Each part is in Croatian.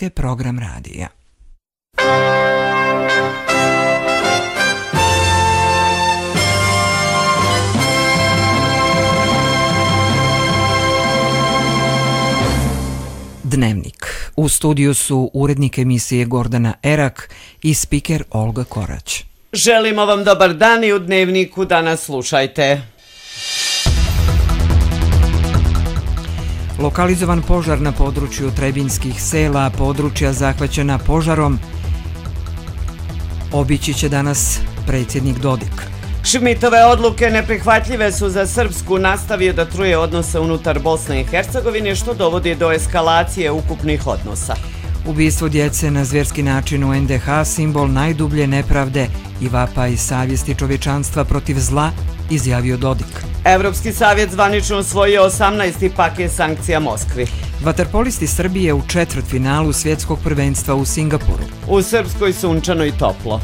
Srpske program radija. Dnevnik. U studiju su urednik emisije Gordana Erak i spiker Olga Korać. Želimo vam dobar dan i u Dnevniku danas slušajte. Lokalizovan požar na području Trebinjskih sela, područja zahvaćena požarom, obići će danas predsjednik Dodik. Šmitove odluke neprihvatljive su za Srpsku, nastavio da truje odnose unutar Bosne i Hercegovine, što dovodi do eskalacije ukupnih odnosa. Ubistvo djece na zvjerski način u NDH, simbol najdublje nepravde i vapaj savjesti čovječanstva protiv zla, izjavio Dodik. Evropski savjet zvanično usvojio 18. paket sankcija Moskvi. Vaterpolisti Srbije u četvrtfinalu svjetskog prvenstva u Singapuru. U Srpskoj sunčano i toplo.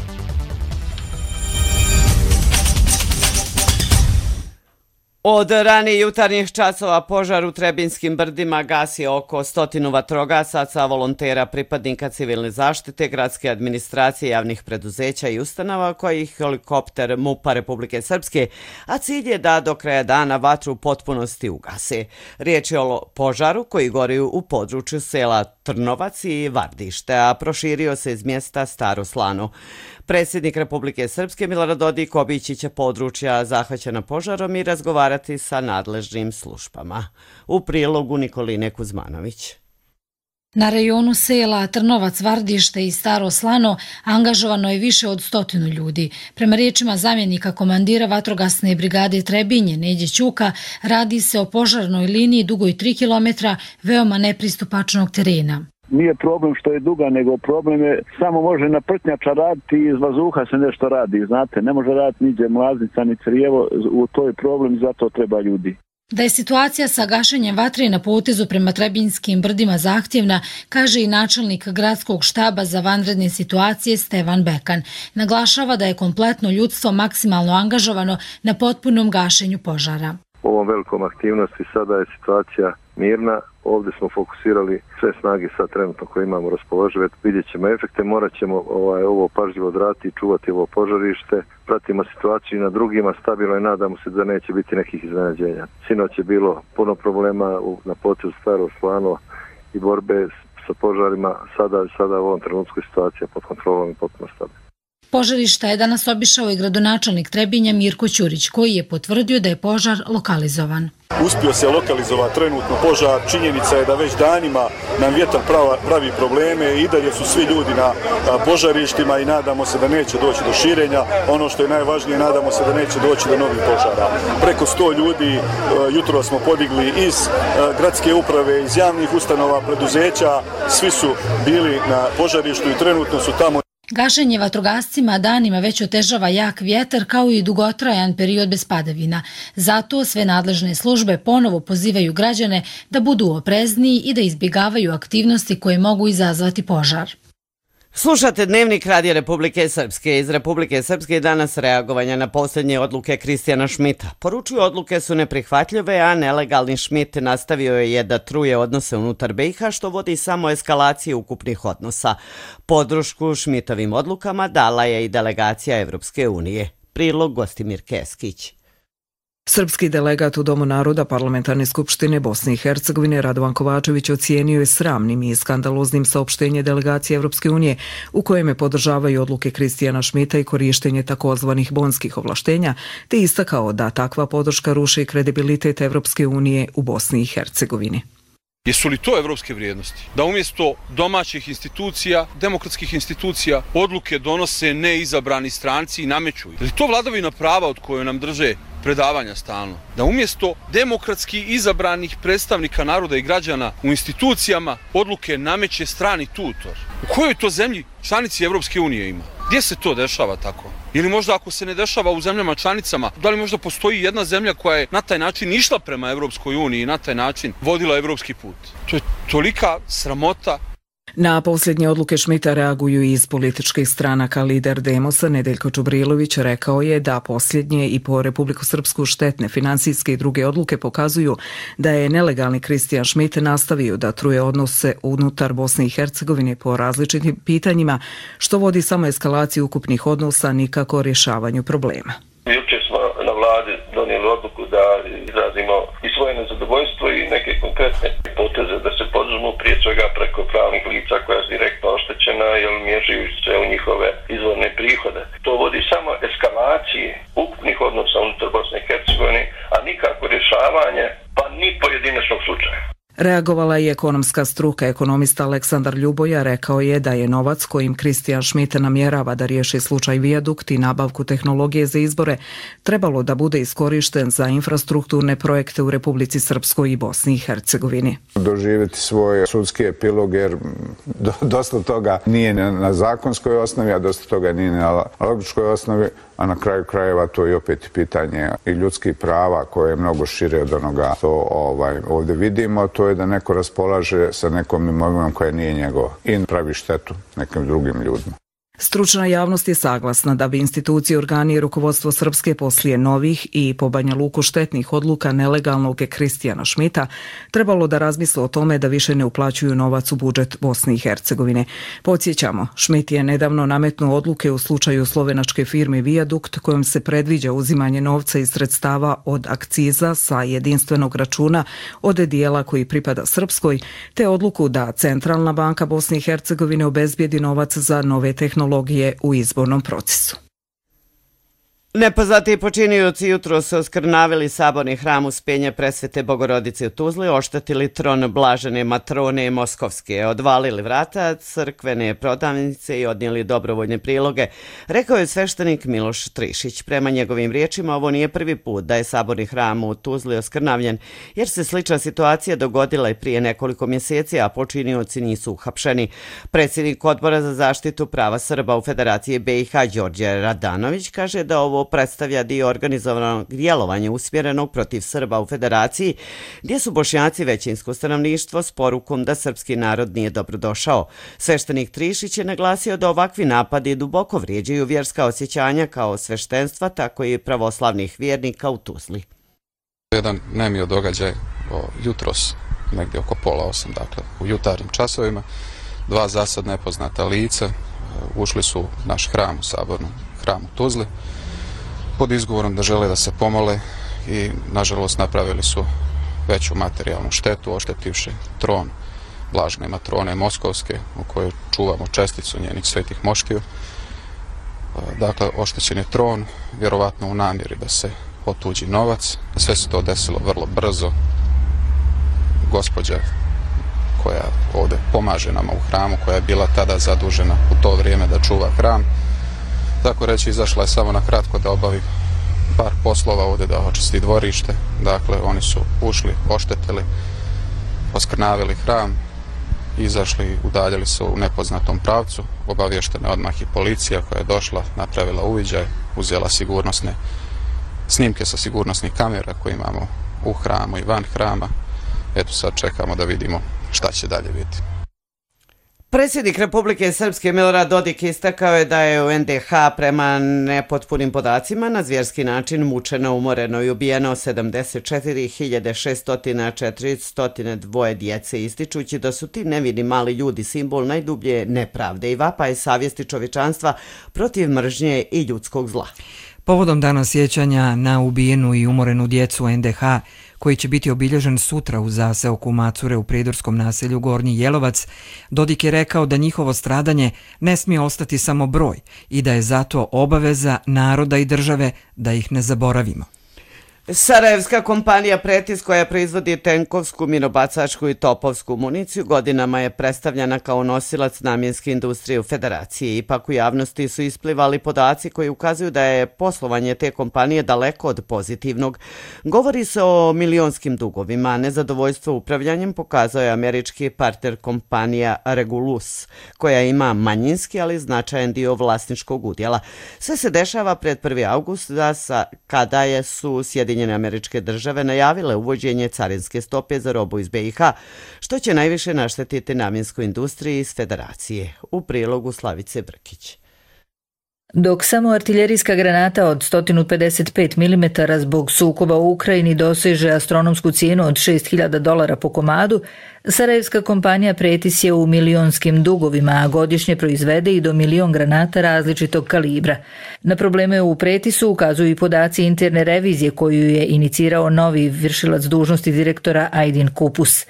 Od ranije jutarnjih časova požar u Trebinjskim brdima gasi oko 100 vatrogasaca, volontera, pripadnika civilne zaštite, gradske administracije, javnih preduzeća i ustanova, koji helikopter MUP-a Republike Srpske, a cilj je da do kraja dana vatru u potpunosti ugase. Riječ je o požaru koji gori u području sela Trnovac i Vardište, a proširio se iz mjesta Staro Slano. Predsjednik Republike Srpske Milorad Dodik obići će područja zahvaćena požarom i razgovarati sa nadležnim službama. U prilogu Nikoline Kuzmanović. Na rejonu sela Trnovac, Vardište i Staro Slano angažovano je više od 100 ljudi. Prema riječima zamjenika komandira vatrogasne brigade Trebinje, Neđe Ćuka, radi se o požarnoj liniji dugoj 3 km veoma nepristupačnog terena. Nije problem što je duga, nego problem je samo može na prtnjača raditi i iz vazduha se nešto radi. Znate, ne može raditi niđe mlaznica, ni crijevo, to je problem i zato treba ljudi. Da je situacija sa gašenjem vatre na potezu prema Trebinjskim brdima zahtjevna, kaže i načelnik gradskog štaba za vanredne situacije Stevan Bekan. Naglašava da je kompletno ljudstvo maksimalno angažovano na potpunom gašenju požara. Ovom velikom aktivnosti sada je situacija mirna. Ovdje smo fokusirali sve snage sad trenutno koje imamo raspoložive. Vidjet ćemo efekte, morat ćemo ovo pažljivo odraditi i čuvati ovo požarište. Pratimo situaciju na drugima stabilno i nadamo se da neće biti nekih iznenađenja. Sinoć je bilo puno problema na potezu Staro Slano i borbe sa požarima. Sada u ovom trenutku situacija pod kontrolom i potpuno stabilna. Požarišta je danas obišao i gradonačelnik Trebinja Mirko Ćurić, koji je potvrdio da je požar lokalizovan. Uspio se lokalizovati trenutno požar. Činjenica je da već danima nam vjetar pravi probleme i dalje su svi ljudi na požarištima i nadamo se da neće doći do širenja. Ono što je najvažnije, nadamo se da neće doći do novih požara. Preko 100 ljudi jutro smo podigli iz gradske uprave, iz javnih ustanova, preduzeća. Svi su bili na požarištu i trenutno su tamo. Gašenje vatrogascima danima već otežava jak vjetar kao i dugotrajan period bez padavina. Zato sve nadležne službe ponovo pozivaju građane da budu oprezniji i da izbjegavaju aktivnosti koje mogu izazvati požar. Slušate Dnevnik Radija Republike Srpske. Iz Republike Srpske danas reagovanja na posljednje odluke Kristijana Šmita. Poručuju odluke su neprihvatljive, a nelegalni Šmit nastavio je da truje odnose unutar BiH, što vodi samo eskalacije ukupnih odnosa. Podršku Šmitovim odlukama dala je i delegacija Evropske unije. Prilog Gostimir Keskić. Srpski delegat u Domu naroda Parlamentarne skupštine Bosne i Hercegovine Radovan Kovačević ocijenio je sramnim i skandaloznim saopštenje delegacije Evropske unije u kojem je podržavaju odluke Kristijana Šmita i korištenje takozvanih bonskih ovlaštenja, te istakao da takva podrška ruši kredibilitet Evropske unije u Bosni i Hercegovini. Jesu li to evropske vrijednosti? Da umjesto domaćih institucija, demokratskih institucija, odluke donose neizabrani stranci i nameću. Je li to vladavina prava od koje nam drže predavanja stalno? Da umjesto demokratski izabranih predstavnika naroda i građana u institucijama odluke nameće strani tutor? U kojoj to zemlji članici Evropske unije ima? Gdje se to dešava tako? Ili možda ako se ne dešava u zemljama članicama, da li možda postoji jedna zemlja koja je na taj način išla prema Evropskoj uniji i na taj način vodila evropski put? To je tolika sramota. Na posljednje odluke Šmita reaguju i iz političkih stranaka. Lider Demosa Nedeljko Čubrilović rekao je da posljednje i po Republiku Srpsku štetne finansijske i druge odluke pokazuju da je nelegalni Kristijan Šmit nastavio da truje odnose unutar Bosne i Hercegovine po različitim pitanjima, što vodi samo eskalaciji ukupnih odnosa, nikako rješavanju problema. Jučer smo na vladi donijeli odluku da izrazimo i svoje nezadovoljstvo i neke konkretne poteze da se poduzmu, prije svega preko pravnih lica koja su direktno oštećena jer miješaju se u njihove izvorne prihode. To vodi samo eskalaciji ukupnih odnosa unutar Bosne i Hercegovine, a nikako rješavanje pa ni pojedinačnog slučaja. Reagovala je ekonomska struka. Ekonomista Aleksandar Ljuboja rekao je da je novac kojim Kristijan Šmit namjerava da riješi slučaj Vijadukt i nabavku tehnologije za izbore trebalo da bude iskorišten za infrastrukturne projekte u Republici Srpskoj i Bosni i Hercegovini. Doživjeti svoj sudski epilog jer dosta toga nije na zakonskoj osnovi, a dosta toga nije na logičkoj osnovi, a na kraju krajeva to je opet pitanje i ljudskih prava koje je mnogo šire od onoga što ovdje vidimo. To je da neko raspolaže sa nekom imovinom koja nije njegova i pravi štetu nekim drugim ljudima. Stručna javnost je saglasna da bi institucije, organi i rukovodstvo Srpske poslije novih i po Banja Luku štetnih odluka nelegalnog Kristijana Šmita trebalo da razmisle o tome da više ne uplaćuju novac u budžet Bosne i Hercegovine. Podsjećamo, Šmit je nedavno nametnuo odluke u slučaju slovenačke firme Vijadukt kojom se predviđa uzimanje novca iz sredstava od akciza sa jedinstvenog računa od dijela koji pripada Srpskoj, te odluku da Centralna banka Bosne i Hercegovine obezbijedi novac za nove tehnologije u izbornom procesu. Nepoznati počinioci jutro su oskrnavili saborni hram Uspenja Presvete Bogorodice u Tuzli, oštetili tron Blažene Matrone Moskovske, odvalili vrata crkvene prodavnice i odnijeli dobrovoljne priloge, rekao je sveštenik Miloš Trišić. Prema njegovim riječima, ovo nije prvi put da je saborni hram u Tuzli oskrnavljen, jer se slična situacija dogodila i prije nekoliko mjeseci, a počinioci nisu uhapšeni. Predsjednik Odbora za zaštitu prava Srba u Federaciji BiH Đorđe Radanović kaže da ovo predstavlja dio organizovanog djelovanja usmjerenog protiv Srba u Federaciji, gdje su Bošnjaci većinsko stanovništvo s porukom da srpski narod nije dobrodošao. Sveštenik Trišić je naglasio da ovakvi napadi duboko vrijeđaju vjerska osjećanja kao sveštenstva, tako i pravoslavnih vjernika u Tuzli. Jedan nemio događaj jutros, negdje oko 7:30, dakle u jutarnjim časovima, dva zasad nepoznata lica ušli su u naš hram, u sabornom hramu Tuzli, pod izgovorom da žele da se pomole i nažalost napravili su veću materijalnu štetu, oštetivši tron Blažene Matrone Moskovske u kojoj čuvamo česticu njenih svetih moškiju. Dakle, oštećen je tron, vjerovatno u namjeri da se otuđi novac. Sve se to desilo vrlo brzo. Gospođa koja ovdje pomaže nama u hramu, koja je bila tada zadužena u to vrijeme da čuva hram, tako reći, izašla je samo na kratko da obavi par poslova ovdje, da očisti dvorište. Dakle, oni su ušli, oštetili, oskrnavili hram, izašli i udaljili se u nepoznatom pravcu. Obavještena je odmah i policija koja je došla, napravila uviđaj, uzela sigurnosne snimke sa sigurnosnih kamera koje imamo u hramu i van hrama. Eto, sad čekamo da vidimo šta će dalje biti. Predsjednik Republike Srpske Milorad Dodik istakao je da je u NDH prema nepotpunim podacima na zvjerski način mučeno, umoreno i ubijeno 74.642 djece, ističući da su ti nevini mali ljudi simbol najdublje nepravde i vapaj savjesti čovječanstva protiv mržnje i ljudskog zla. Povodom dana sjećanja na ubijenu i umorenu djecu NDH, koji će biti obilježen sutra u zaseoku Macure u prijedorskom naselju Gornji Jelovac, Dodik je rekao da njihovo stradanje ne smije ostati samo broj i da je zato obaveza naroda i države da ih ne zaboravimo. Sarajevska kompanija Pretis, koja proizvodi tenkovsku, minobacačku i topovsku municiju, godinama je predstavljena kao nosilac namjenske industrije u Federaciji. Ipak u javnosti su isplivali podaci koji ukazuju da je poslovanje te kompanije daleko od pozitivnog. Govori se o milionskim dugovima. Nezadovoljstvo upravljanjem pokazao je američki partner kompanija Regulus, koja ima manjinski, ali značajan dio vlasničkog udjela. Sve se dešava pred 1. august, kada su Sjedinjene Sjedinjene Američke Države najavile uvođenje carinske stope za robu iz BiH, što će najviše naštetiti namjenskoj industriji iz Federacije. U prilogu Slavice Brkić. Dok samo artiljerijska granata od 155 mm zbog sukoba u Ukrajini doseže astronomsku cijenu od $6.000 po komadu, sarajevska kompanija Pretis je u milionskim dugovima, a godišnje proizvede i do 1.000.000 granata različitog kalibra. Na probleme u Pretisu ukazuju i podaci interne revizije koju je inicirao novi vršilac dužnosti direktora Aydin Kupus.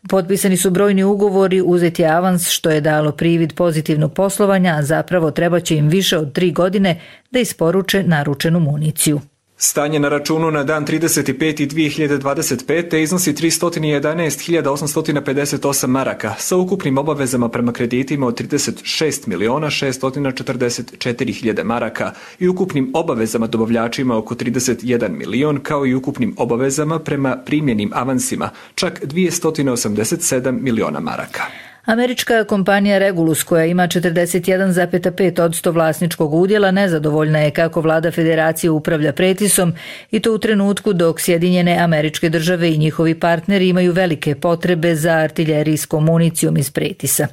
Potpisani su brojni ugovori, uzeti avans što je dalo privid pozitivnog poslovanja, a zapravo treba će im više od 3 godine da isporuče naručenu municiju. Stanje na računu na dan 35.2025. iznosi 311.858 maraka sa ukupnim obavezama prema kreditima od 36.644.000 maraka i ukupnim obavezama dobavljačima oko 31 milion, kao i ukupnim obavezama prema primljenim avansima čak 287 miliona maraka. Američka kompanija Regulus, koja ima 41,5% vlasničkog udjela, nezadovoljna je kako vlada federacije upravlja Pretisom i to u trenutku dok Sjedinjene Američke Države i njihovi partneri imaju velike potrebe za artiljerijskom municijom iz Pretisa.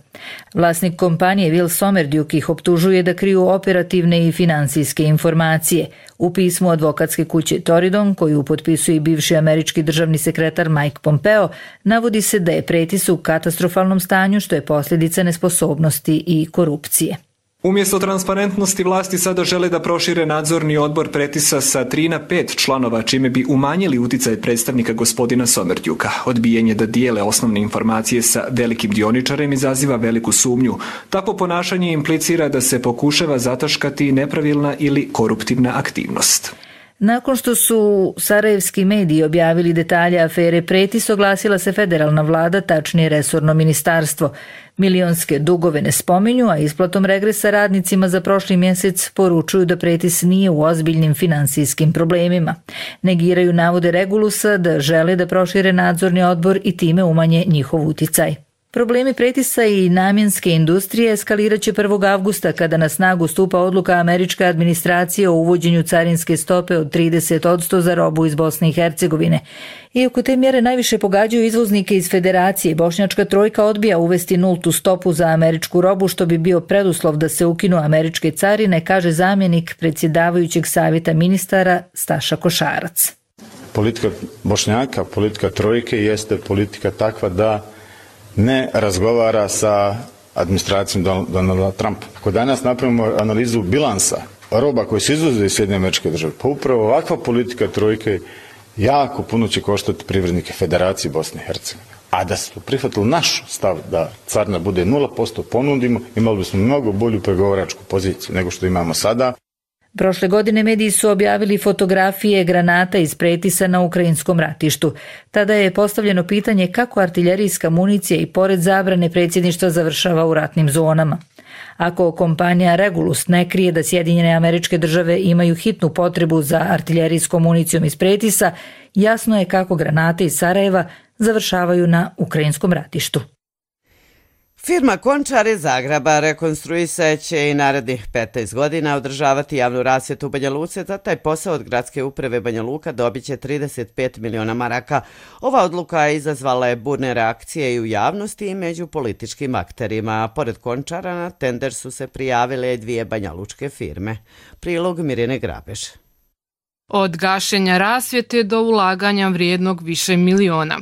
Vlasnik kompanije Will Somerdjuk ih optužuje da kriju operativne i financijske informacije. U pismu advokatske kuće Toridon, koju potpisuje bivši američki državni sekretar Mike Pompeo, navodi se da je Pretis u katastrofalnom stanju, što je posljedica nesposobnosti i korupcije. Umjesto transparentnosti vlasti sada žele da prošire nadzorni odbor Pretisa sa 3 na 5 članova, čime bi umanjili uticaj predstavnika gospodina Somerdjuka. Odbijanje da dijele osnovne informacije sa velikim dioničarem izaziva veliku sumnju. Takvo ponašanje implicira da se pokušava zataškati nepravilna ili koruptivna aktivnost. Nakon što su sarajevski mediji objavili detalje afere Pretis, oglasila se federalna vlada, tačnije resorno ministarstvo. Milionske dugove ne spominju, a isplatom regresa radnicima za prošli mjesec poručuju da Pretis nije u ozbiljnim finansijskim problemima. Negiraju navode Regulusa da žele da prošire nadzorni odbor i time umanje njihov uticaj. Problemi Pretisa i namjenske industrije eskalirat će 1. avgusta kada na snagu stupa odluka američke administracije o uvođenju carinske stope od 30% za robu iz Bosne i Hercegovine. Iako te mjere najviše pogađaju izvoznike iz Federacije, Bošnjačka trojka odbija uvesti nultu stopu za američku robu, što bi bio preduslov da se ukinu američke carine, kaže zamjenik predsjedavajućeg savjeta ministara Staša Košarac. Politika Bošnjaka, politika trojke jeste politika takva da ne razgovara sa administracijom Donalda Trumpa. Ako danas napravimo analizu bilansa roba koji se izvoze iz Sjedinjenih Američkih Država, pa upravo ovakva politika trojke jako puno će koštati privrednike Federacije Bosne i Hercegovine. A da su prihvatili naš stav da carina bude 0% ponudimo, imali bismo mnogo bolju pregovaračku poziciju nego što imamo sada. Prošle godine mediji su objavili fotografije granata iz Pretisa na ukrajinskom ratištu. Tada je postavljeno pitanje kako artiljerijska municija i pored zabrane predsjedništva završava u ratnim zonama. Ako kompanija Regulus ne krije da Sjedinjene Američke Države imaju hitnu potrebu za artiljerijskom municijom iz Pretisa, jasno je kako granate iz Sarajeva završavaju na ukrajinskom ratištu. Firma Končar iz Zagreba rekonstruisat će i narednih 15 godina održavati javnu rasvjetu u Banja Luci. Za taj posao od gradske uprave Banja Luka dobit će 35 miliona maraka. Ova odluka izazvala je burne reakcije i u javnosti i među političkim akterima. Pored Končara na tender su se prijavile 2 banjalučke firme. Prilog Mirjane Grabež. Od gašenja rasvjete do ulaganja vrijednog više miliona.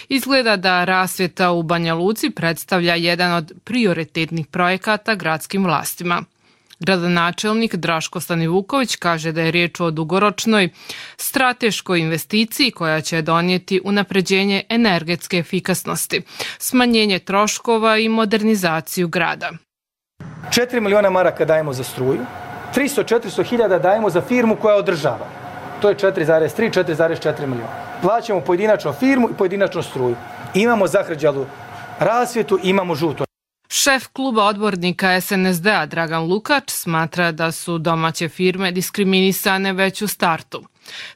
Izgleda da rasvjeta u Banja Luci predstavlja jedan od prioritetnih projekata gradskim vlastima. Gradonačelnik Draško Stanivuković kaže da je riječ o dugoročnoj strateškoj investiciji koja će donijeti unapređenje energetske efikasnosti, smanjenje troškova i modernizaciju grada. 4 miliona maraka dajemo za struju, 300-400 hiljada dajemo za firmu koja održava. To je 4,4 miliona. Plaćamo pojedinačno firmu i pojedinačno struju. Imamo zahrđalu rasvjetu, imamo žuto. Šef kluba odbornika SNSD-a Dragan Lukač smatra da su domaće firme diskriminisane već u startu.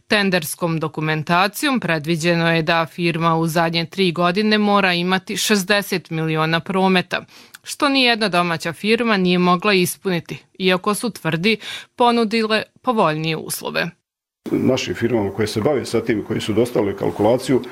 Tenderskom dokumentacijom predviđeno je da firma u zadnje 3 godine mora imati 60 miliona prometa, što nijedna domaća firma nije mogla ispuniti, iako su, tvrdi, ponudile povoljnije uslove. Našim firmama koje se bave sa tim, koji su dostavili kalkulaciju,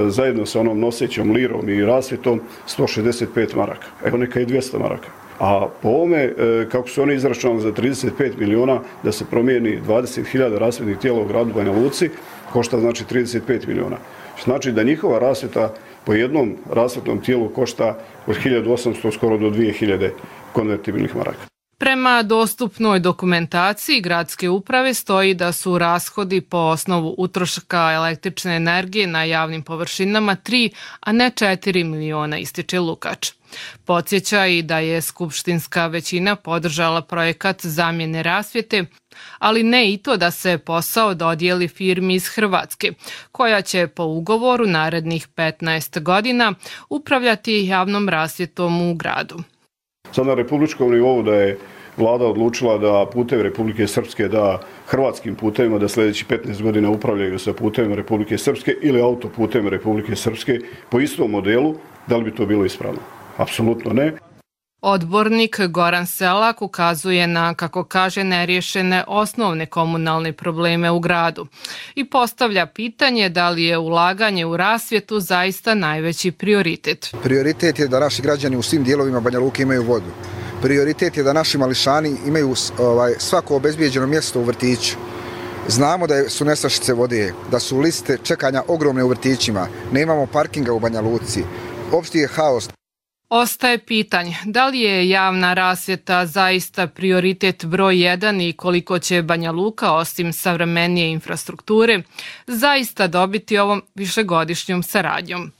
zajedno sa onom nosećom lirom i rasvjetom 165 maraka. Evo neka i 200 maraka. A po ovome, kako su oni izračunali za 35 miliona da se promijeni 20.000 rasvjetnih tijela u gradu Banja Luci, košta znači 35 miliona. Znači da njihova rasvjeta po jednom rasvjetnom tijelu košta od 1800 skoro do 2000 konvertibilnih maraka. Prema dostupnoj dokumentaciji gradske uprave stoji da su rashodi po osnovu utroška električne energije na javnim površinama 3, a ne 4 miliona, ističe Lukač. Podsjeća i da je skupštinska većina podržala projekat zamjene rasvjete, ali ne i to da se posao dodijeli firmi iz Hrvatske, koja će po ugovoru narednih 15 godina upravljati javnom rasvjetom u gradu. Sad na republičkom nivou da je vlada odlučila da putevi Republike Srpske da hrvatskim putevima, da sljedeći 15 godina upravljaju sa putevima Republike Srpske ili autoputevima Republike Srpske po istom modelu, da li bi to bilo ispravno? Apsolutno ne. Odbornik Goran Selak ukazuje na, kako kaže, neriješene osnovne komunalne probleme u gradu i postavlja pitanje da li je ulaganje u rasvjetu zaista najveći prioritet. Prioritet je da naši građani u svim dijelovima Banja Luke imaju vodu. Prioritet je da naši mališani imaju svako obezbijeđeno mjesto u vrtiću. Znamo da su nestašice vode, da su liste čekanja ogromne u vrtićima, nemamo parkinga u Banja Luci, opšti je haos. Ostaje pitanje da li je javna rasvjeta zaista prioritet broj 1 i koliko će Banja Luka, osim savremenije infrastrukture, zaista dobiti ovom višegodišnjom saradnjom.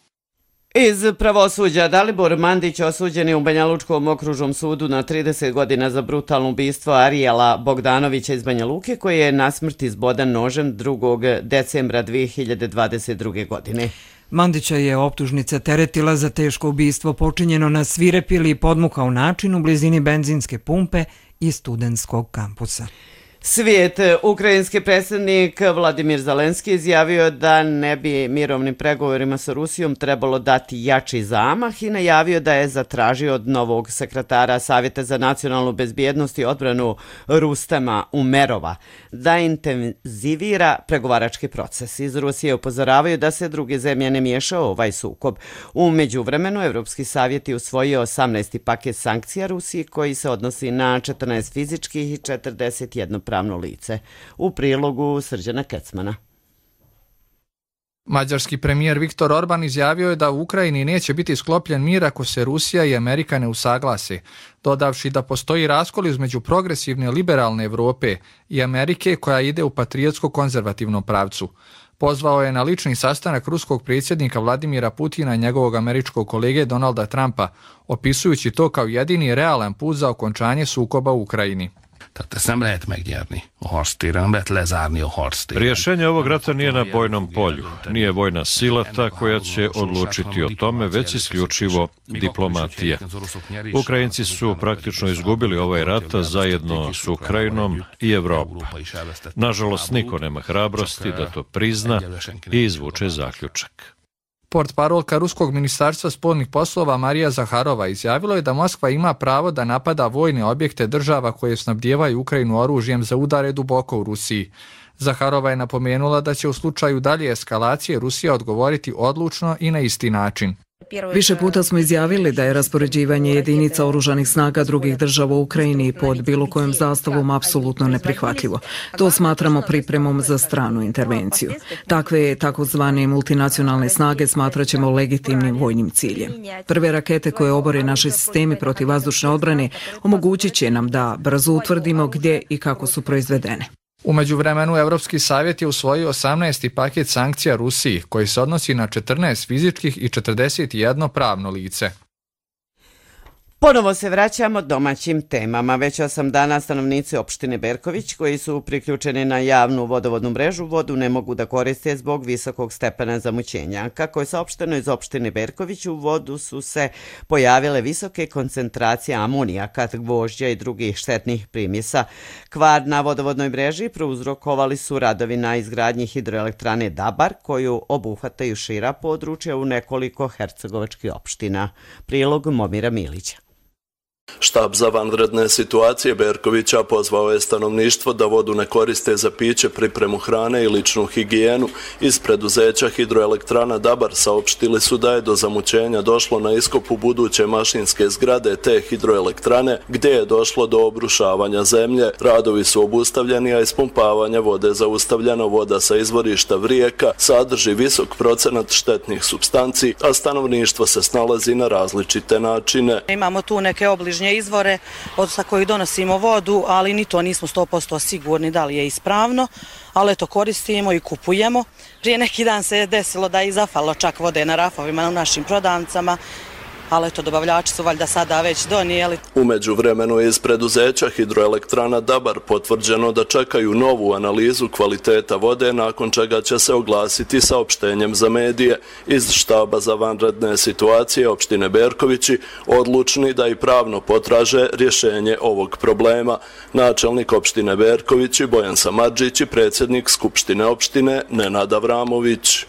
Iz pravosuđa, Dalibor Mandić osuđen je u Banja Lučkom okružnom sudu na 30 godina za brutalno ubistvo Arijela Bogdanovića iz Banja Luke, koji je na smrt izbodan nožem 2. decembra 2022. godine. Mandića je optužnica teretila za teško ubistvo počinjeno na svirep ili podmukao način u blizini benzinske pumpe i studentskog kampusa. Svijet. Ukrajinski predsjednik Vladimir Zelenski izjavio da ne bi mirovnim pregovorima sa Rusijom trebalo dati jači zamah i najavio da je zatražio od novog sekretara Savjeta za nacionalnu bezbjednost i odbranu Rustema Umerova da intenzivira pregovarački proces. Iz Rusije upozoravaju da se druge zemlje ne miješaju u ovaj sukob. U međuvremenu Evropski savjet je usvojio 18. paket sankcija Rusiji koji se odnosi na 14 fizičkih i 41 pravno lice. U prilogu Srđana Kecmana. Mađarski premijer Viktor Orban izjavio je da u Ukrajini neće biti sklopljen mir ako se Rusija i Amerika ne usaglase, dodavši da postoji raskol između progresivne liberalne Evrope i Amerike koja ide u patriotsko-konzervativnom pravcu. Pozvao je na lični sastanak ruskog predsjednika Vladimira Putina i njegovog američkog kolege Donalda Trumpa, opisujući to kao jedini realan put za okončanje sukoba u Ukrajini. Rješenje ovog rata nije na bojnom polju, nije vojna sila ta koja će odlučiti o tome, već isključivo diplomatija. Ukrajinci su praktično izgubili ovaj rat zajedno s Ukrajinom i Evropom. Nažalost, niko nema hrabrosti da to prizna i izvuče zaključak. Portparolka Ruskog ministarstva spoljnih poslova Marija Zaharova izjavila je da Moskva ima pravo da napada vojne objekte država koje snabdijevaju Ukrajinu oružjem za udare duboko u Rusiji. Zaharova je napomenula da će u slučaju dalje eskalacije Rusija odgovoriti odlučno i na isti način. Više puta smo izjavili da je raspoređivanje jedinica oružanih snaga drugih država u Ukrajini pod bilo kojom zastavom apsolutno neprihvatljivo. To smatramo pripremom za stranu intervenciju. Takve takozvane multinacionalne snage smatraćemo legitimnim vojnim ciljem. Prve rakete koje obore naše sistemi protivvazdušne odbrane omogućit će nam da brzo utvrdimo gdje i kako su proizvedene. U međuvremenu Evropski savjet je usvojio 18. paket sankcija Rusiji, koji se odnosi na 14 fizičkih i 41 pravno lice. Ponovo se vraćamo domaćim temama. Već 8 dana stanovnici opštine Berković koji su priključeni na javnu vodovodnu mrežu vodu ne mogu da koriste zbog visokog stepena zamućenja. Kako je saopšteno iz opštine Berković, u vodu su se pojavile visoke koncentracije amonijaka, gvožđa i drugih štetnih primjesa. Kvar na vodovodnoj mreži prouzrokovali su radovi na izgradnji hidroelektrane Dabar, koju obuhvataju šira područja u nekoliko hercegovačkih opština. Prilog Momira Milića. Štab za vanredne situacije Berkovića pozvao je stanovništvo da vodu ne koriste za piće, pripremu hrane i ličnu higijenu. Iz preduzeća Hidroelektrana Dabar saopštili su da je do zamućenja došlo na iskopu buduće mašinske zgrade te hidroelektrane, gdje je došlo do obrušavanja zemlje. Radovi su obustavljeni, a ispumpavanje vode zaustavljeno. Voda sa izvorišta Vrijeka sadrži visok procenat štetnih supstanci, a stanovništvo se snalazi na različite načine. Imamo tu neke obližnje izvore sa kojih donosimo vodu, ali ni to nismo 100% sigurni da li je ispravno, ali to koristimo i kupujemo. Prije neki dan se je desilo da je zafalo čak vode na rafovima u našim prodavnicama, ali dobavljači su valjda sada već donijeli. U međuvremenu je iz preduzeća Hidroelektrana Dabar potvrđeno da čekaju novu analizu kvaliteta vode, nakon čega će se oglasiti saopštenjem za medije. Iz štaba za vanredne situacije opštine Berkovići odlučni da i pravno potraže rješenje ovog problema. Načelnik opštine Berkovići Bojan Samardžić i predsjednik Skupštine opštine Nenad Avramović.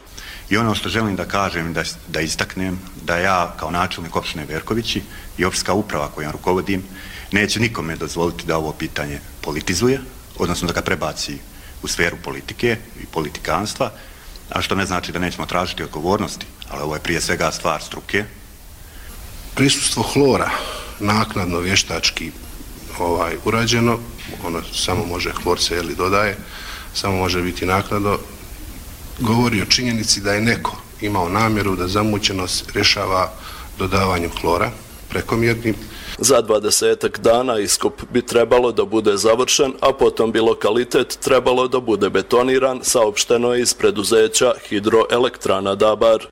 I ono što želim da kažem, da istaknem, da ja kao načelnik opštine Berkovići i opštinska uprava kojom rukovodim neće nikome dozvoliti da ovo pitanje politizuje, odnosno da ga prebaci u sferu politike i politikanstva, a što ne znači da nećemo tražiti odgovornosti, ali ovo je prije svega stvar struke. Prisustvo hlora naknadno vještački urađeno, ono samo može, hlor se dodaje, samo može biti naknadno, govori o činjenici da je neko imao namjeru da zamućenost rješava dodavanjem hlora prekomjernim. Za 20 dana iskop bi trebalo da bude završen, a potom bi lokalitet trebalo da bude betoniran, saopšteno je iz preduzeća Hidroelektrana Dabar.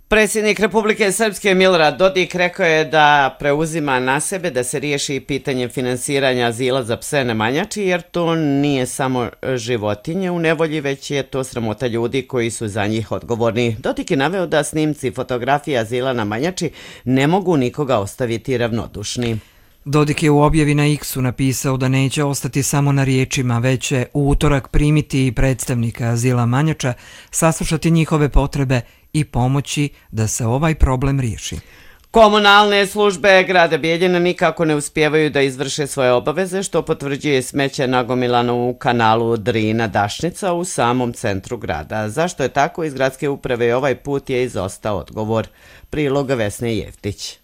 Predsjednik Republike Srpske Milorad Dodik rekao je da preuzima na sebe da se riješi pitanje finansiranja azila za pse na Manjači, jer to nije samo životinje u nevolji, već je to sramota ljudi koji su za njih odgovorni. Dodik je naveo da snimci fotografije azila na Manjači ne mogu nikoga ostaviti ravnodušni. Dodik je u objavi na X-u napisao da neće ostati samo na riječima, već će u utorak primiti predstavnika azila Manjača, saslušati njihove potrebe i pomoći da se ovaj problem riješi. Komunalne službe grada Bijeljina nikako ne uspijevaju da izvrše svoje obaveze, što potvrđuje smeće nagomilano u kanalu Drina-Dašnica u samom centru grada. Zašto je tako, iz gradske uprave ovaj put je izostao odgovor. Prilog Vesne Jeftić.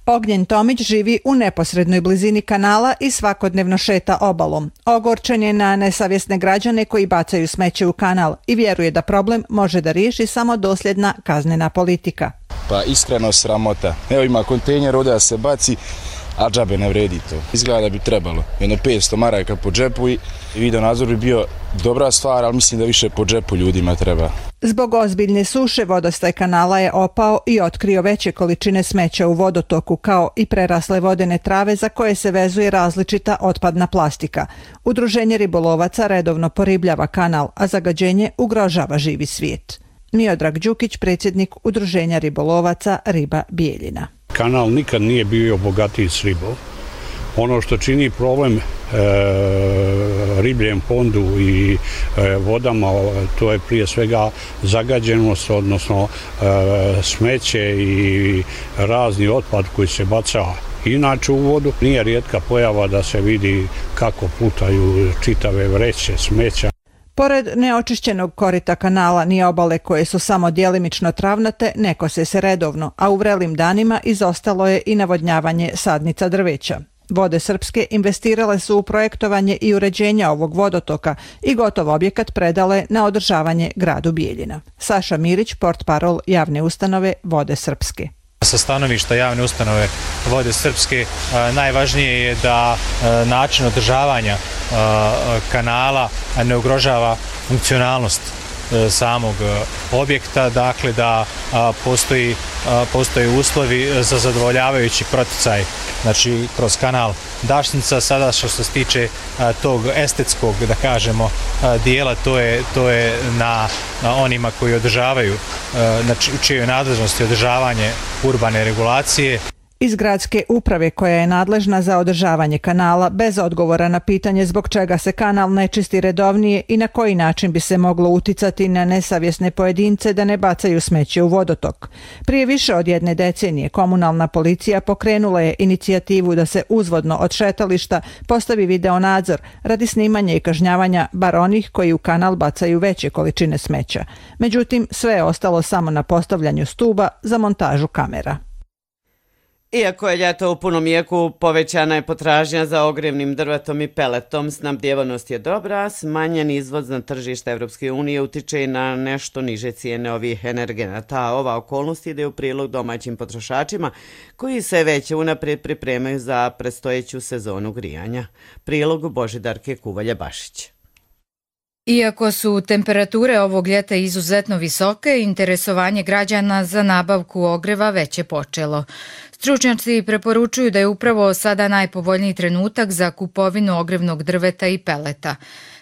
Ognjen Tomić živi u neposrednoj blizini kanala i svakodnevno šeta obalom. Ogorčen je na nesavjesne građane koji bacaju smeće u kanal i vjeruje da problem može da riješi samo dosljedna kaznena politika. Pa iskreno sramota. Evo ima kontejner, ovdje se baci, a džabe ne vredi to. Izgleda da bi trebalo. Jedno 500 maraka po džepu i video nadzor bi bio dobra stvar, ali mislim da više po džepu ljudima treba. Zbog ozbiljne suše vodostaj kanala je opao i otkrio veće količine smeća u vodotoku, kao i prerasle vodene trave za koje se vezuje različita otpadna plastika. Udruženje ribolovaca redovno poribljava kanal, a zagađenje ugrožava živi svijet. Miodrag Đukić, predsjednik Udruženja ribolovaca Riba Bijeljina. Kanal nikad nije bio bogatiji s ribom. Ono što čini problem ribljem fondu i vodama, to je prije svega zagađenost, odnosno smeće i razni otpad koji se baca inače u vodu. Nije rijetka pojava da se vidi kako plutaju čitave vreće smeća. Pored neočišćenog korita kanala ni obale koje su samo djelimično travnate ne kose se redovno, a u vrelim danima izostalo je i navodnjavanje sadnica drveća. Vode Srpske investirale su u projektovanje i uređenje ovog vodotoka i gotov objekat predale na održavanje gradu Bijeljina. Saša Mirić, portparol javne ustanove Vode Srpske. Sa stanovišta javne ustanove Vode Srpske najvažnije je da način održavanja kanala ne ugrožava funkcionalnost samog objekta, dakle da postoji uslovi za zadovoljavajući proticaj, znači kroz kanal Dašnica. Sada što se tiče tog estetskog, da kažemo, dijela, to je na onima koji održavaju, znači u čijoj nadležnosti održavanje urbane regulacije. Iz gradske uprave koja je nadležna za održavanje kanala bez odgovora na pitanje zbog čega se kanal ne čisti redovnije i na koji način bi se moglo uticati na nesavjesne pojedince da ne bacaju smeće u vodotok. Prije više od 1 decenije komunalna policija pokrenula je inicijativu da se uzvodno od šetališta postavi videonadzor radi snimanja i kažnjavanja bar onih koji u kanal bacaju veće količine smeća. Međutim, sve je ostalo samo na postavljanju stuba za montažu kamera. Iako je ljeto u punom jeku, povećana je potražnja za ogrjevnim drvetom i peletom, snabdjevanost je dobra, smanjen izvoz na tržište Evropske unije utiče i na nešto niže cijene ovih energenata. Ova okolnost ide u prilog domaćim potrošačima koji se već unaprijed pripremaju za predstojeću sezonu grijanja. Prilog Božidarke Kuvalje-Bašić. Iako su temperature ovog ljeta izuzetno visoke, interesovanje građana za nabavku ogreva već je počelo. Stručnjaci preporučuju da je upravo sada najpovoljniji trenutak za kupovinu ogrevnog drveta i peleta.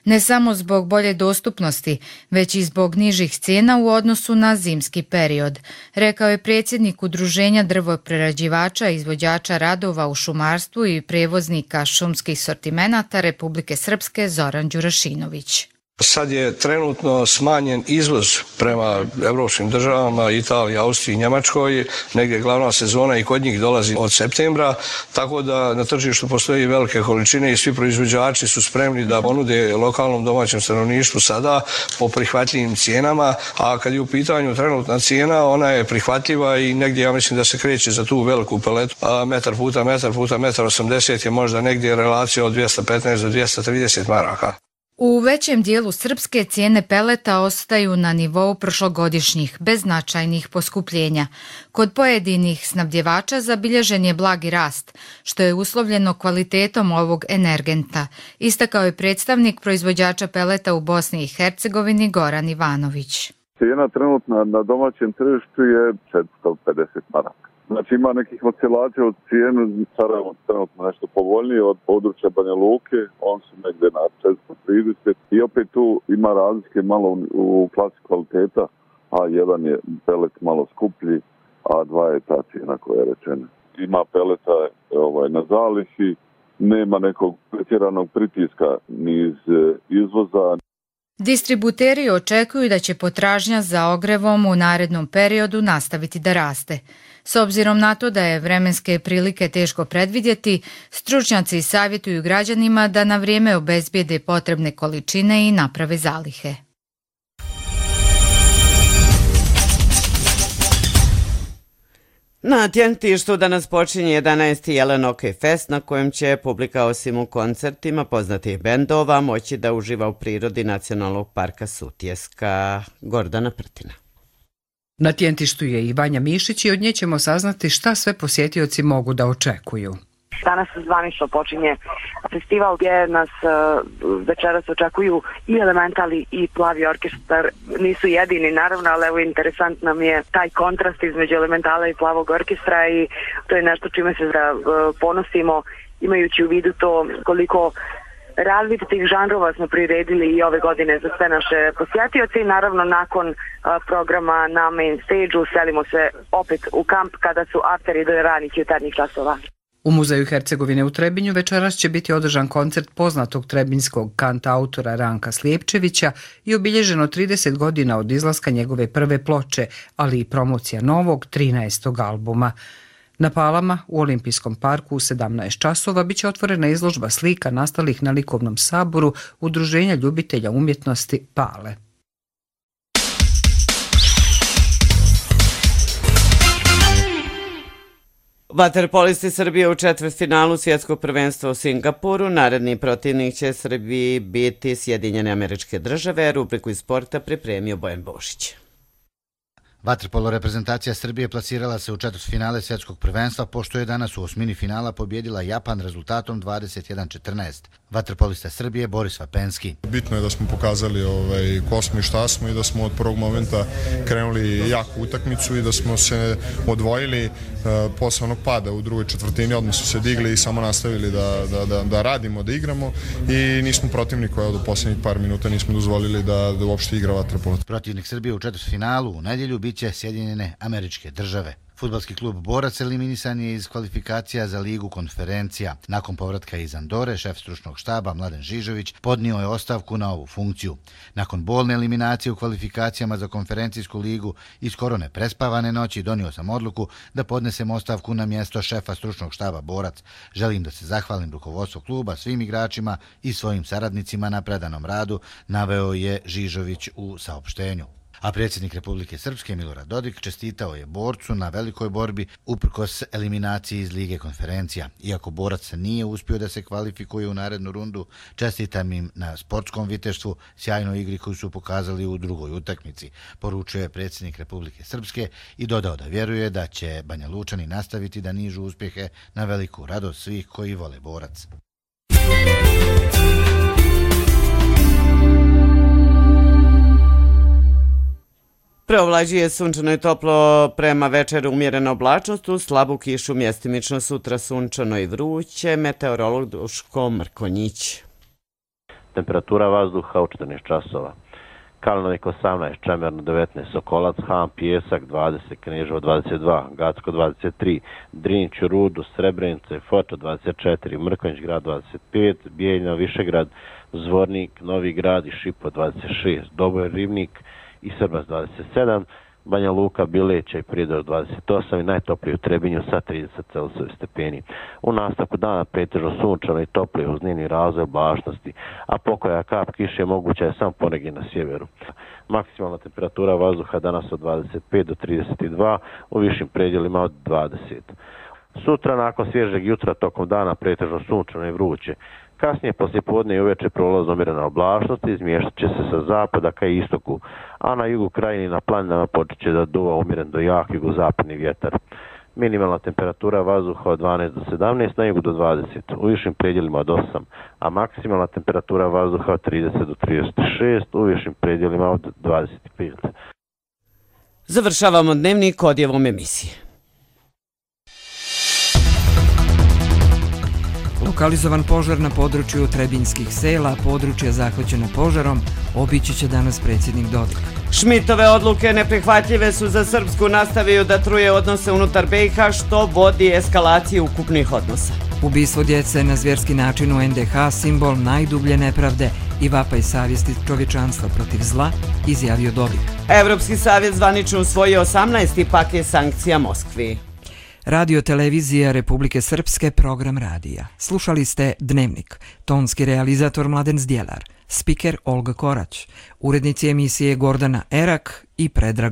Ne samo zbog bolje dostupnosti, već i zbog nižih cijena u odnosu na zimski period, rekao je predsjednik Udruženja drvoprerađivača i izvođača radova u šumarstvu i prevoznika šumskih sortimenata Republike Srpske Zoran Đurašinović. Sad je trenutno smanjen izvoz prema evropskim državama, Italiji, Austriji, Njemačkoj. Negdje glavna sezona i kod njih dolazi od septembra, tako da na tržištu postoji velike količine i svi proizvođači su spremni da ponude lokalnom domaćem stanovništvu sada po prihvatljivim cijenama, a kad je u pitanju trenutna cijena, ona je prihvatljiva i negdje ja mislim da se kreće za tu veliku peletu, a metar puta 1,80 je možda negdje relacija od 215 do 230 maraka. U većem dijelu Srpske cijene peleta ostaju na nivou prošlogodišnjih, bez značajnih poskupljenja. Kod pojedinih snabdjevača zabilježen je blagi rast, što je uslovljeno kvalitetom ovog energenta, istakao je predstavnik proizvođača peleta u Bosni i Hercegovini Goran Ivanović. Cijena trenutna na domaćem tržištu je 450 maraka. Znači ima nekih oscilacija od cijenu, Sarajevo trenutno nešto povoljnije od područja Banja Luke, on su negdje na 430 i opet tu ima razlike malo u klasi kvaliteta, a jedan je pelet malo skuplji, a dva je ta cijena koja je rečena. Ima peleta na zalihi, nema nekog pretjeranog pritiska ni iz izvoza. Distributeri očekuju da će potražnja za ogrevom u narednom periodu nastaviti da raste. S obzirom na to da je vremenske prilike teško predvidjeti, stručnjaci savjetuju građanima da na vrijeme obezbijede potrebne količine i naprave zalihe. Na Tjentištu danas počinje 11. Jelen Hokej Fest na kojem će publika osim u koncertima poznatih bendova moći da uživa u prirodi Nacionalnog parka Sutjeska. Gordana Prtina. Na Tjentištu je i Vanja Mišić i od nje ćemo saznati šta sve posjetioci mogu da očekuju. Danas zvanično počinje festival gdje nas večeras očekuju i Elementali i Plavi orkestar. Nisu jedini naravno, ali evo interesantno nam je taj kontrast između Elementala i Plavog orkestra i to je nešto čime se ponosimo imajući u vidu to koliko različitih žanrova smo priredili i ove godine za sve naše posjetioce i naravno nakon programa na main stage-u selimo se opet u kamp kada su afteri do ranih jutarnjih časova. U Muzeju Hercegovine u Trebinju večeras će biti održan koncert poznatog trebinskog kantautora Ranka Slijepčevića i obilježeno 30 godina od izlaska njegove prve ploče, ali i promocija novog 13. albuma. Na Palama u Olimpijskom parku u 17 časova biće otvorena izložba slika nastalih na likovnom saboru Udruženja ljubitelja umjetnosti Pale. Vaterpolisti Srbije u četvrtfinalu svjetskog prvenstva u Singapuru. Naredni protivnik će Srbiji biti Sjedinjene Američke Države. Rubriku iz sporta pripremio Bojan Bošić. Vaterpolo reprezentacija Srbije plasirala se u četvrtfinale svjetskog prvenstva pošto je danas u osmini finala pobjedila Japan rezultatom 21-14. Vaterpolista Srbije Boris Vapenski. Bitno je da smo pokazali ko smo i šta smo i da smo od prvog momenta krenuli jaku utakmicu i da smo se odvojili posle onog pada u drugoj četvrtini, odmah su se digli i samo nastavili da radimo, da igramo i nismo protivnik koja do posljednjih par minuta nismo dozvolili da uopšte igra vaterpolo. Protivnik Srbije u četvrtfinalu u nedjelju biće Sjedinjene Američke Države. Fudbalski klub Borac eliminisan je iz kvalifikacija za ligu konferencija. Nakon povratka iz Andore, šef stručnog štaba Mladen Žižović podnio je ostavku na ovu funkciju. Nakon bolne eliminacije u kvalifikacijama za konferencijsku ligu i skoro neprespavane noći, donio sam odluku da podnesem ostavku na mjesto šefa stručnog štaba Borac. Želim da se zahvalim rukovodstvu kluba, svim igračima i svojim saradnicima na predanom radu, naveo je Žižović u saopštenju. A predsjednik Republike Srpske Milorad Dodik čestitao je Borcu na velikoj borbi uprkos eliminaciji iz Lige konferencija. Iako Borac nije uspio da se kvalifikuje u narednu rundu, čestitam im na sportskom viteštvu, sjajnoj igri koju su pokazali u drugoj utakmici, poručio je predsjednik Republike Srpske i dodao da vjeruje da će Banja Lučani nastaviti da nižu uspjehe na veliku radost svih koji vole Borac. Preovlađuje sunčano i toplo, prema večeru umjerena oblačnost, uz slabu kišu mjestimično, sutra sunčano i vruće, meteorolog Duško Mrkonjić. Temperatura vazduha u 14 časova. Kalnovik 18, Čemerno 19, Sokolac, Han, Pijesak 20, Kneževo 22, Gacko 23, Drinć, Rudo, Srebrenica i Foča 24, Mrkonjić grad 25, Bijeljina, Višegrad, Zvornik, Novi grad i Šipo 26, Doboj, Rivnik i Srbas 27, Banja Luka, Bileća i Prijedor 28 i najtoplije u Trebinju sa 30 stepeni. U nastavku dana pretežno sunčano i toplije uz njeni razvoj oblačnosti, a pokoja kap kiše moguća je samo ponegdje na sjeveru. Maksimalna temperatura vazduha danas od 25 do 32, u višim predjelima od 20. Sutra nakon svježeg jutra tokom dana pretežno sunčano i vruće. Kasnije poslijepodne i uveče prolazno umjerena oblačnost, izmještat će se sa zapada ka istoku, a na jugu krajini na planinama počet će da duva umjeren do jak jugozapadni vjetar. Minimalna temperatura vazduha od 12 do 17, na jugu do 20, u višim predjelima od 8, a maksimalna temperatura vazduha od 30 do 36, u višim predjelima od 25. Završavamo dnevnik odjevom emisije. Lokalizovan požar na području Trebinjskih sela, područja zahvaćena požarom, obići će danas predsjednik Dodik. Šmitove odluke neprihvatljive su za Srpsku, nastavio da truje odnose unutar BiH, što vodi eskalaciji ukupnih odnosa. Ubistvo djece na zvjerski način u NDH, simbol najdublje nepravde i vapaj savjesti čovječanstva protiv zla, izjavio Dodik. Evropski savjet zvanično usvojio 18. paket sankcija Moskvi. Radio televizija Republike Srpske, program radija. Slušali ste Dnevnik. Tonski realizator Mladen Zdjelar. Spiker Olga Korać. Urednici emisije Gordana Erak i Predrag